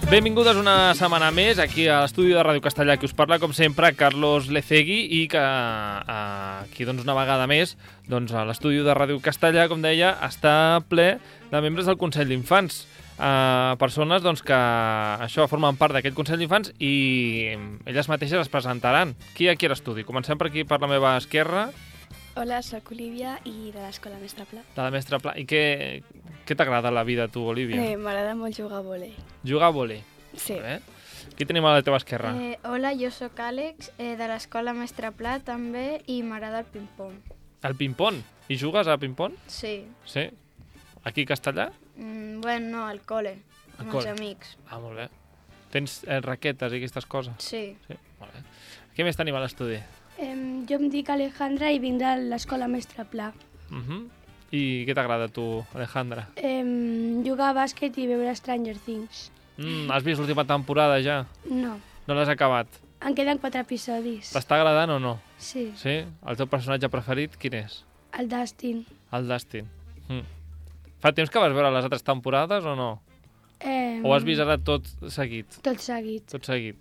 Benvingudes una setmana més aquí a l'estudi de Ràdio Castellà, que us parla, com sempre, Carlos Lecegui, i que aquí, doncs, una vegada més, doncs, a l'estudi de Ràdio Castellà, com deia, està ple de membres del Consell d'Infants. Persones, doncs, que això formen part d'aquest Consell d'Infants i elles mateixes es presentaran. Qui hi ha aquí a l'estudi? Comencem per aquí, per la meva esquerra. Hola, soc Olivia i de l'Escola Mestre Pla. De la Mestre Pla. I què t'agrada la vida, tu, Olivia? M'agrada molt jugar a vòlei. Jugar a vòlei? Sí. Qui tenim a la teva esquerra? Hola, jo sóc Àlex, de l'Escola Mestre Pla també, i m'agrada el ping-pong. El ping-pong? I jugues a ping-pong? Sí. Sí? Aquí a Castellà? Bueno, no, al col·le, amb els amics. Ah, molt bé. Tens raquetes i aquestes coses? Sí. Sí, molt bé. Què més tenim a l'estudi? Jo em dic Alejandra i vinc de l'Escola Mestre Pla. I què t'agrada a tu, Alejandra? Jugar a bàsquet i veure Stranger Things. Has vist l'última temporada ja? No. No l'has acabat? En queden 4 episodis. T'està agradant o no? Sí. Sí? El teu personatge preferit, quin és? El Dustin. El Dustin. Fa temps que vas veure les altres temporades o no? O has vist ara tot seguit? Tot seguit. Tot seguit.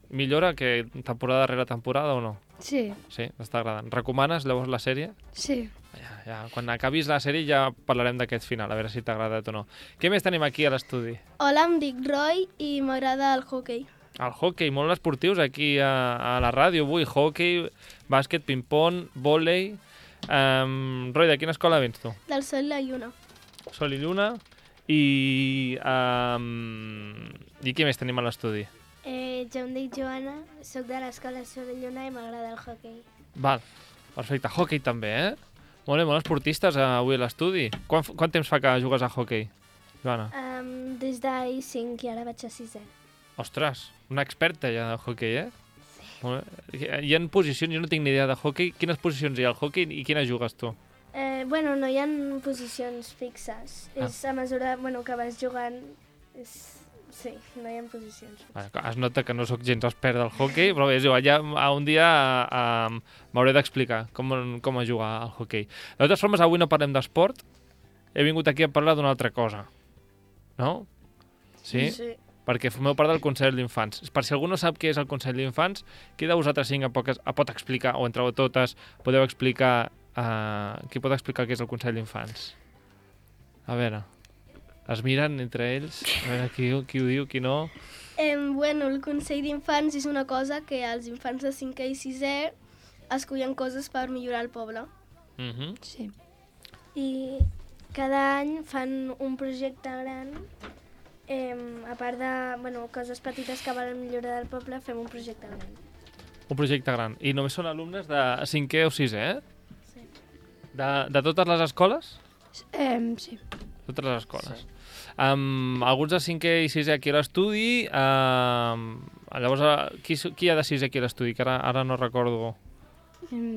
Millora que temporada rere temporada o no? Sí. Sí, t'està agradant. Recomanes llavors la sèrie? Sí. Ja, quan acabis la sèrie ja parlarem d'aquest final, a veure si t'ha agradat o no. Què més tenim aquí a l'estudi? Hola, em dic Roy i m'agrada el hoquei. El hoquei, molt esportius aquí a la ràdio avui. Hoquei, bàsquet, ping-pong, vòlei... Roy, de quina escola vens tu? Del Sol i la Lluna. Sol i Lluna. I què més tenim a l'estudi? Jo em dic Joana, soc de l'escola Sol i Lluna i m'agrada el hoquei. Val, perfecte. Hoquei també, Molt bé, molt esportistes avui a l'estudi. Quant temps fa que jugues a hoquei, Joana? Des d'ahir 5 i ara vaig a 6è. Ostres, una experta ja de hoquei, Sí. Molt bé. Hi ha posicions, jo no tinc ni idea de hoquei. Quines posicions hi ha al hoquei i quines jugues tu? Bueno, no hi ha posicions fixes. És a mesura que vas jugant... Sí, no hi ha posicions. Es nota que no sóc gens expert del hoquei, però bé, ja un dia m'hauré d'explicar com es jugar al hoquei. De totes formes, avui no parlem d'esport. He vingut aquí a parlar d'una altra cosa. No? Sí? Sí. Perquè formeu part del Consell d'Infants. Per si algú no sap què és el Consell d'Infants, qui de vosaltres cinc pot explicar, o entre totes podeu explicar, qui pot explicar què és el Consell d'Infants? A veure, es miren entre ells, a veure qui ho diu, qui no... Bueno, el Consell d'Infants és una cosa que els infants de 5è i 6è escollen coses per millorar el poble. Sí. I cada any fan un projecte gran. A part de coses petites que volen millorar el poble, fem un projecte gran. Un projecte gran. I només són alumnes de 5è o 6è, Sí. De totes les escoles? Sí. Totes les escoles. Sí. Alguns de 5è i 6è aquí a l'estudi. Llavors, qui hi ha de 6è aquí a l'estudi? Que ara no recordo.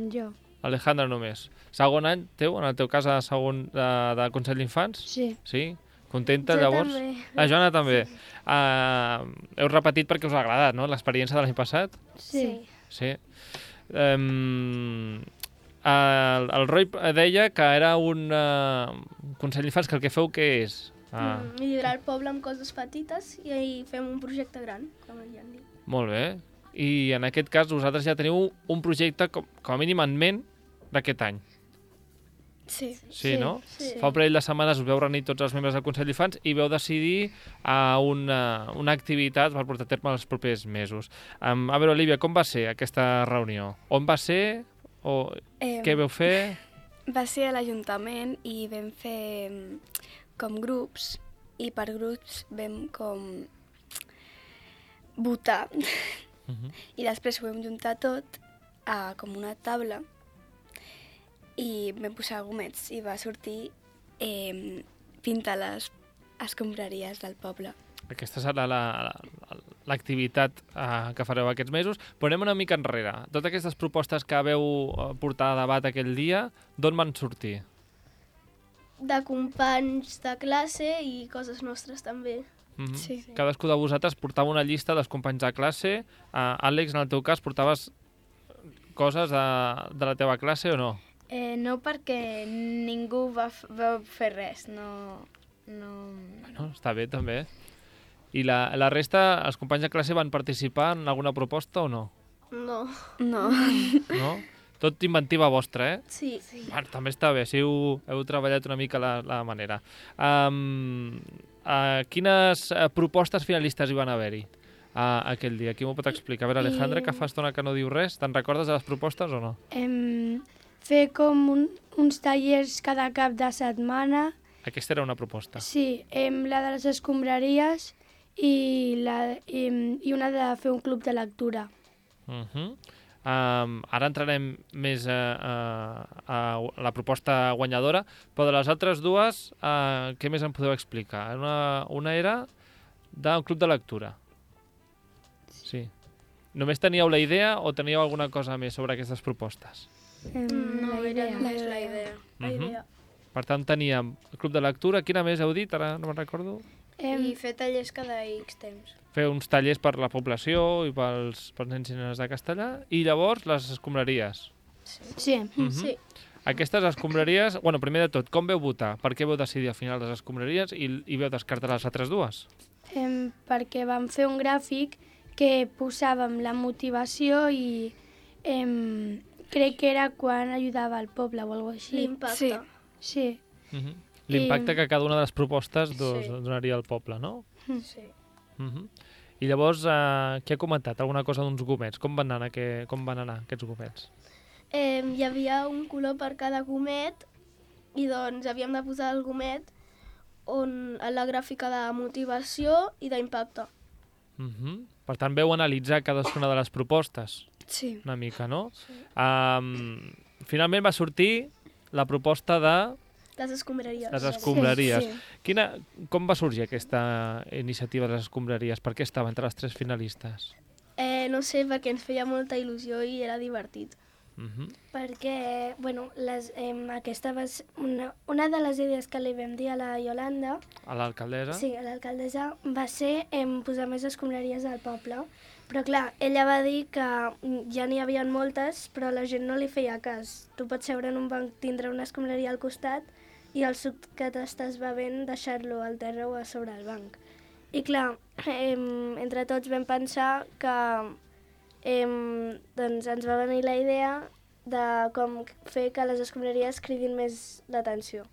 Jo. Alejandra només. Segon any teu, en el teu cas, segon de Consell d'Infants? Sí. Sí? Contenta, Jo llavors? també. La Joana també. Heu repetit perquè us ha agradat, no?, l'experiència de l'any passat? Sí. Sí. El Roy deia que era un Consell d'Infants, que el que feu què és? Millorar el poble amb coses petites i fem un projecte gran, com ja han dit. Molt bé. I en aquest cas vosaltres ja teniu un projecte com a mínim en ment d'aquest any. Sí. Sí, no? Sí. Fa un parell de setmanes us veu reunir tots els membres del Consell d'Infants i veu decidir una activitat per portar a terme els propers mesos. A veure, Olivia, com va ser aquesta reunió? On va ser? Què veu fer? Va ser a l'Ajuntament i vam fer com grups, i per grups vam com votar. I després ho vam juntar tot a com una taula i vam posar gomets i va sortir pintar les escombraries del poble. Aquesta serà l'activitat que fareu aquests mesos. Però anem una mica enrere. Totes aquestes propostes que veu portar a debat aquell dia, d'on van sortir? De companys de classe i coses nostres també. Sí. Cadascú de vosaltres portava una llista dels companys de classe. Àlex, en el teu cas, portaves coses de la teva classe o no? No, perquè ningú va fer res. No... Bueno, està bé, també. I la resta, els companys de classe van participar en alguna proposta o no? No. No. No? Tot inventiva vostra, eh? Sí. Bueno, també està bé, si heu treballat una mica la manera. Quines propostes finalistes hi van haver-hi aquell dia? Qui m'ho pot explicar? A veure, Alejandra, que fa estona que no diu res, te'n recordes de les propostes o no? Fer com uns tallers cada cap de setmana. Aquesta era una proposta. Sí, la de les escombraries i una de fer un club de lectura. Ara entrarem més a la proposta guanyadora, però de les altres dues, què més em podeu explicar? Una era d'un club de lectura. Sí. Només teníeu la idea o teníeu alguna cosa més sobre aquestes propostes? No, era només la idea. La idea. Per tant, teníem el club de lectura. Quina més heu dit? Ara no me'n recordo. I fer tallers cada X temps. Fer uns tallers per la població i pels nens i nenes de Castellà. I llavors, les escombraries. Sí. Sí. Aquestes escombraries... Bueno, primer de tot, com veu votar? Per què veu decidir al final les escombraries i veu descartar les altres dues? Perquè vam fer un gràfic que posàvem la motivació i crec que era quan ajudava el poble o alguna cosa així. L'impacte. Sí. L'impacte que cada una de les propostes donaria al poble, no? Sí. I llavors, què ha comentat? Alguna cosa d'uns gomets? Com van anar aquests gomets? Hi havia un color per cada gomet i doncs havíem de posar el gomet a la gràfica de motivació i d'impacte. Per tant, veu analitzar cadascuna de les propostes Sí. una mica, no? Sí. Finalment va sortir la proposta de Les escombraries. les escombraries. Sí. Com va sorgir aquesta iniciativa de les escombraries? Per què estava entre les tres finalistes? No sé, perquè ens feia molta il·lusió i era divertit. Perquè, aquesta va ser una de les idees que li vam dir a la Iolanda, A l'alcaldessa? sí, a l'alcaldessa, va ser posar més escombraries al poble. Però clar, ella va dir que ja n'hi havia moltes, però la gent no li feia cas. Tu pots seure en un banc, tindre una escombraria al costat i el suc que t'estàs bevent deixar-lo al terra o a sobre el banc. I clar, entre tots vam pensar que doncs ens va venir la idea de com fer que les escombraries cridin més l'atenció.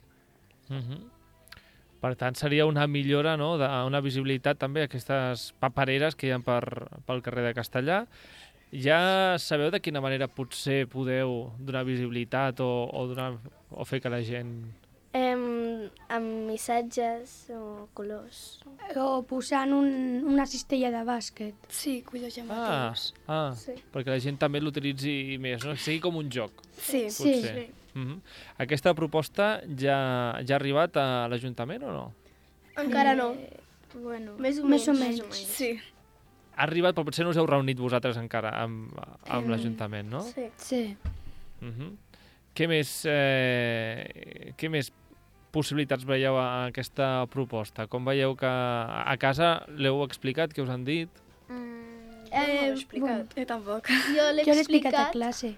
Per tant, seria una millora, no?, una visibilitat també aquestes papereres que hi ha pel carrer de Castellà. Ja sabeu de quina manera potser podeu donar visibilitat o fer que la gent... Amb missatges o colors. O posant una cistella de bàsquet. Sí, cuidar llamatius. Sí. Perquè la gent també l'utilitzi més, no? Que sigui com un joc, Sí. potser. Aquesta proposta ja ha arribat a l'Ajuntament o no? Encara no. Bueno, Més o més o menys. menys. Sí. Ha arribat, però potser no us heu reunit vosaltres encara amb l'Ajuntament, no? Sí. Sí. Què més possibilitats veieu a aquesta proposta? Com veieu que a casa l'heu explicat, què us han dit? Jo tampoc. Jo l'he Jo l'he explicat a explicat. classe.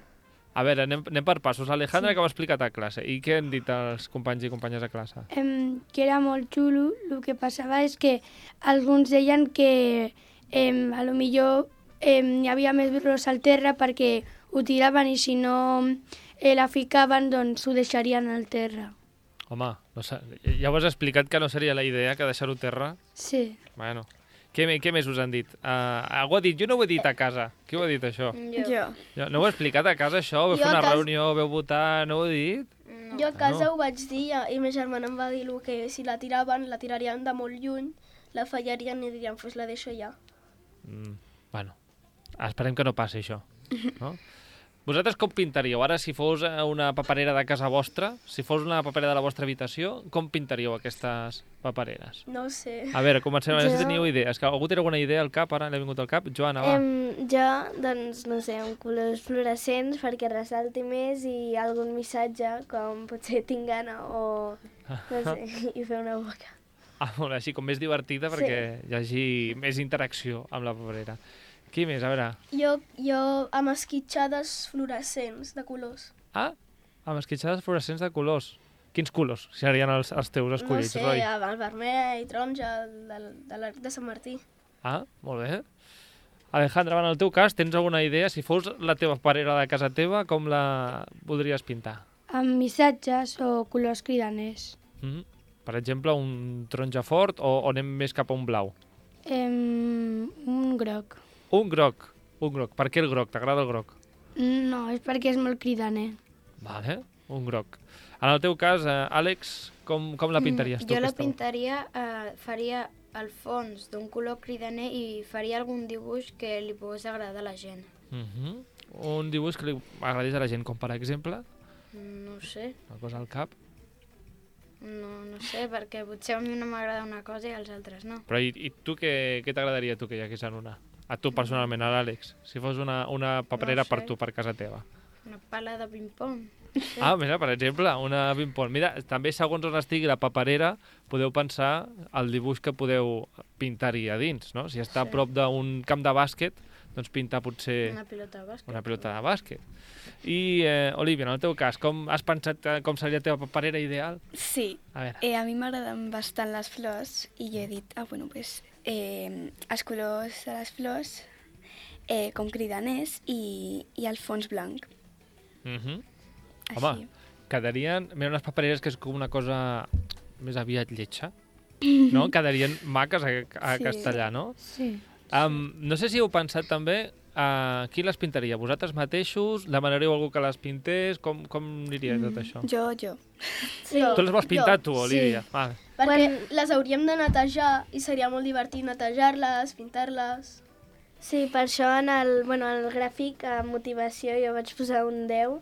A veure, anem per passos. Alejandra, que ho ha explicat a classe. I què han dit els companys i companyes a classe? Que era molt xulo. El que passava és que alguns deien que a lo millor hi havia més birros al terra perquè ho tiraven i si no la ficaven, doncs ho deixarien al terra. Home, no sé, ja ho has explicat que no seria la idea que deixar-ho a terra. Sí. Bueno, què més us han dit? Algú ha dit, jo no ho he dit a casa. Qui ho ha dit, això? Jo. No ho he explicat a casa, això? Vau Jo fer a una casa- reunió, vau votar, no ho he dit? Jo a casa ho vaig dir i ma germana em va dir que si la tiraven, la tirarien de molt lluny, la fallarien i dirien, pues la deixo ja. Bueno, esperem que no passi això. No? Vosaltres com pintaríeu? Ara, si fos una paperera de casa vostra, si fos una paperera de la vostra habitació, com pintaríeu aquestes papereres? No ho sé. A veure, comencem. A veure si Jo- teníeu idees. Que algú té alguna idea al cap? Ara l'he vingut al cap. Joana, va. Jo, doncs, no sé, amb colors fluorescents perquè ressalti més i algun missatge com potser tinc gana o no sé, i fer una boca. Molt bé, així com més divertida perquè hi hagi més interacció amb la paperera. Qui més? A veure. Jo amb esquitxades fluorescents de colors. Amb esquitxades fluorescents de colors. Quins colors serien els teus No escollits, sé, Roi? el vermell, taronja, de l'Arc de Sant Martí. Ah, molt bé. Alejandra, en el teu cas, tens alguna idea? Si fos la teva paperera de casa teva, com la voldries pintar? Amb missatges o colors cridaners. Per exemple, un taronja fort o anem més cap a un blau? Un groc. Un groc. Per què el groc? T'agrada el groc? No, és perquè és molt cridaner. Vale, un groc. En el teu cas, Àlex, com la pintaries tu? Jo la aquesta? pintaria, faria el fons d'un color cridaner i faria algun dibuix que li pogués agradar a la gent. Un dibuix que li agradés a la gent, com per exemple, No sé, una cosa al cap. no sé, perquè potser a mi no m'agrada una cosa i als altres no. Però i tu què t'agradaria tu que hi hagués en una? A tu personalment, a l'Àlex, si fos una paperera No sé. per tu, per casa teva. Una pala de ping-pong. Ah, mira, per exemple, una ping-pong. Mira, també segons on estigui la paperera, podeu pensar el dibuix que podeu pintar-hi a dins, no? Si està a prop d'un camp de bàsquet, doncs pintar potser Una pilota de bàsquet. una pilota de bàsquet. I, Olivia, en el teu cas, com has pensat com seria la teva paperera ideal? Sí, A veure. a mi m'agraden bastant les flors i jo he dit, pues, els colors de les flors com cridaners i el fons blanc. Home, Així. quedarien... Mira, unes papereres que és com una cosa més aviat lletja, no? Quedarien maques a Sí. castellà, no? Sí. No sé si heu pensat també qui les pintaria? Vosaltres mateixos? Demanaríeu a algú que les pintés? Com aniria tot això? Jo. Sí. Tu les vols pintar, tu, Olivia? Sí. Vale. Perquè les hauríem de netejar i seria molt divertit netejar-les, pintar-les. Sí, per això en el gràfic a motivació jo vaig posar un 10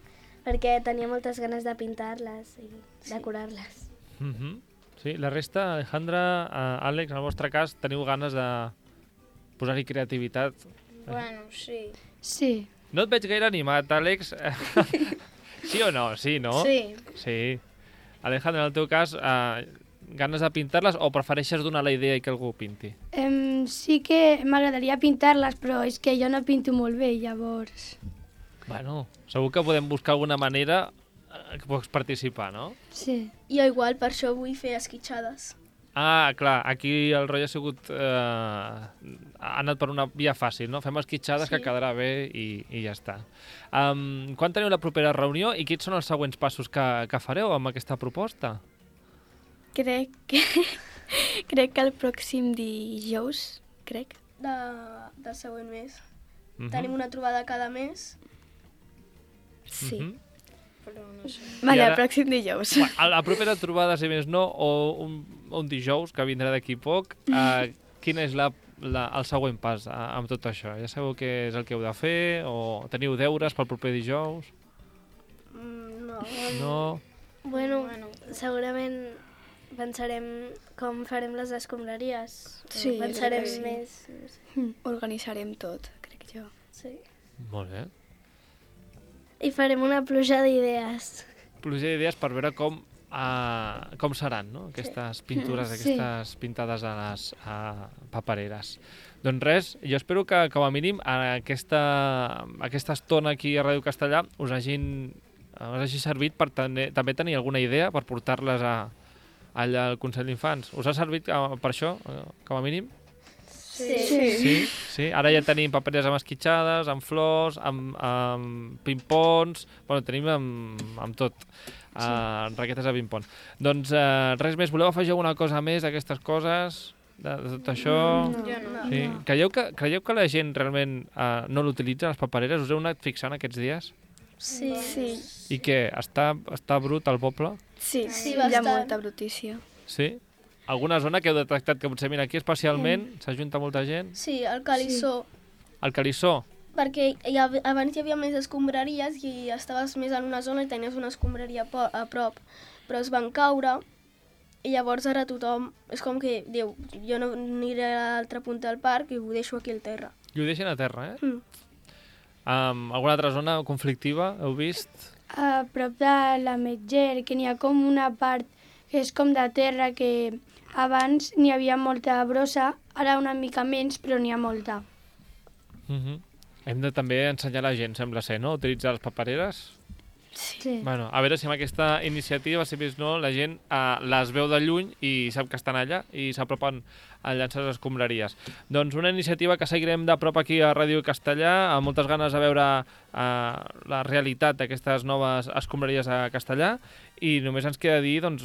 perquè tenia moltes ganes de pintar-les i decorar-les. Sí, la resta, Alejandra, Àlex, en el vostre cas, teniu ganes de posar-hi creativitat. Bueno, sí. Sí. No et veig gaire animat, Àlex. Sí o no? Sí, no? Sí. Sí. Alejandra, en el teu cas, ganes de pintar-les o prefereixes donar la idea i que algú ho pinti? Sí que m'agradaria pintar-les, però és que jo no pinto molt bé, llavors... Bueno, segur que podem buscar alguna manera que pots participar, no? Sí. Jo igual, per això vull fer esquitxades. Ah, clar, aquí el rotllo ha sigut... ha anat per una via fàcil, no? Fem esquitxades que quedarà bé i ja està. Quan teniu la propera reunió i quins són els següents passos que fareu amb aquesta proposta? Crec que el pròxim dijous, Del següent mes. Tenim una trobada cada mes. Sí. Però no sé. Vale, I ara- el pròxim dijous. A la propera trobada, si més no, o un dijous, que vindrà d'aquí poc, quin és el següent pas amb tot això? Ja sabeu què és el que heu de fer? O teniu deures pel proper dijous? No. No? Bueno, segurament pensarem com farem les escombraries. Sí, Pensarem crec que sí. més. Organitzarem tot, crec jo. Sí. Molt bé. I farem una pluja d'idees. Pluja d'idees per veure com seran, no? Aquestes pintures, Sí. aquestes pintades a les papereres. Doncs res, jo espero que, com a mínim, aquesta estona aquí a Ràdio Castellà us hagi servit per també tenir alguna idea per portar-les allà al Consell d'Infants. Us ha servit per això, com a mínim? Sí. Sí? Ara ja tenim papereres amb esquitxades, amb flors, amb ping-pongs... Bueno, tenim amb tot. Raquetes de ping-pong. Doncs res més. Voleu afegir alguna cosa més d'aquestes coses? De tot això? Jo no. Sí. Creieu que la gent realment no l'utilitza, les papereres? Us heu anat fixant aquests dies? Sí. I què? Està brut el poble? Sí, Sí, hi ha bastant. molta brutícia. Sí? Alguna zona que heu detectat que potser, mira, aquí especialment s'ajunta molta gent? Sí, el calissó. El Calissó? Perquè abans hi havia més escombraries i estaves més en una zona i tenies una escombraria a prop, però es van caure i llavors ara tothom és com que diu, jo no aniré a l'altra punta del parc i ho deixo aquí al terra. I ho deixen a terra, eh? Alguna altra zona conflictiva heu vist? A prop de la Metger, que n'hi ha com una part que és com de terra, que abans n'hi havia molta brossa, ara una mica menys, però n'hi ha molta. Hem de també ensenyar a la gent, sembla ser, no? Utilitzar les papereres? Sí. Bueno, a veure si amb aquesta iniciativa, si més no, la gent les veu de lluny i sap que estan allà i s'apropen a llançar les escombraries. Doncs una iniciativa que seguirem de prop aquí a Ràdio Castellà, amb moltes ganes de veure la realitat d'aquestes noves escombraries a Castellà, i només ens queda dir doncs,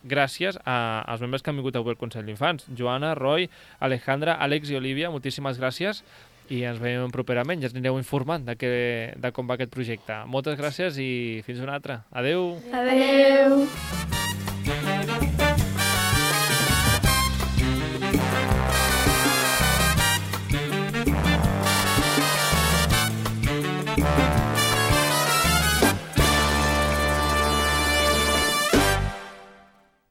gràcies als membres que han vingut avui al Consell d'Infants. Joana, Roy, Alejandra, Àlex i Olivia, moltíssimes gràcies. I ens veiem properament, ja ens anireu informant de com va aquest projecte. Moltes gràcies i fins una altra. Adeu! Adeu!